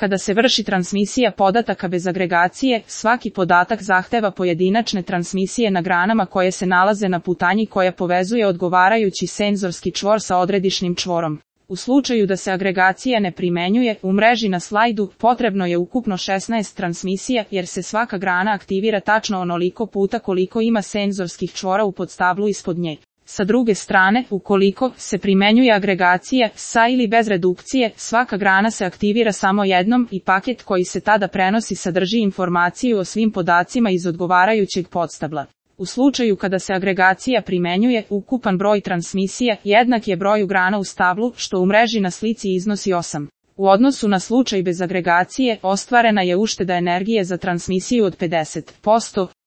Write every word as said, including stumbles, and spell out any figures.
Kada se vrši transmisija podataka bez agregacije, svaki podatak zahteva pojedinačne transmisije na granama koje se nalaze na putanji koja povezuje odgovarajući senzorski čvor sa odredišnim čvorom. U slučaju da se agregacija ne primenjuje, u mreži na slajdu potrebno je ukupno šesnaest transmisija, jer se svaka grana aktivira tačno onoliko puta koliko ima senzorskih čvora u podstablu ispod nje. Sa druge strane, ukoliko se primenjuje agregacija, sa ili bez redukcije, svaka grana se aktivira samo jednom i paket koji se tada prenosi sadrži informaciju o svim podacima iz odgovarajućeg podstabla. U slučaju kada se agregacija primenjuje, ukupan broj transmisija jednak je broju grana u stablu, što u mreži na slici iznosi osam. U odnosu na slučaj bez agregacije, ostvarena je ušteda energije za transmisiju od pedeset posto.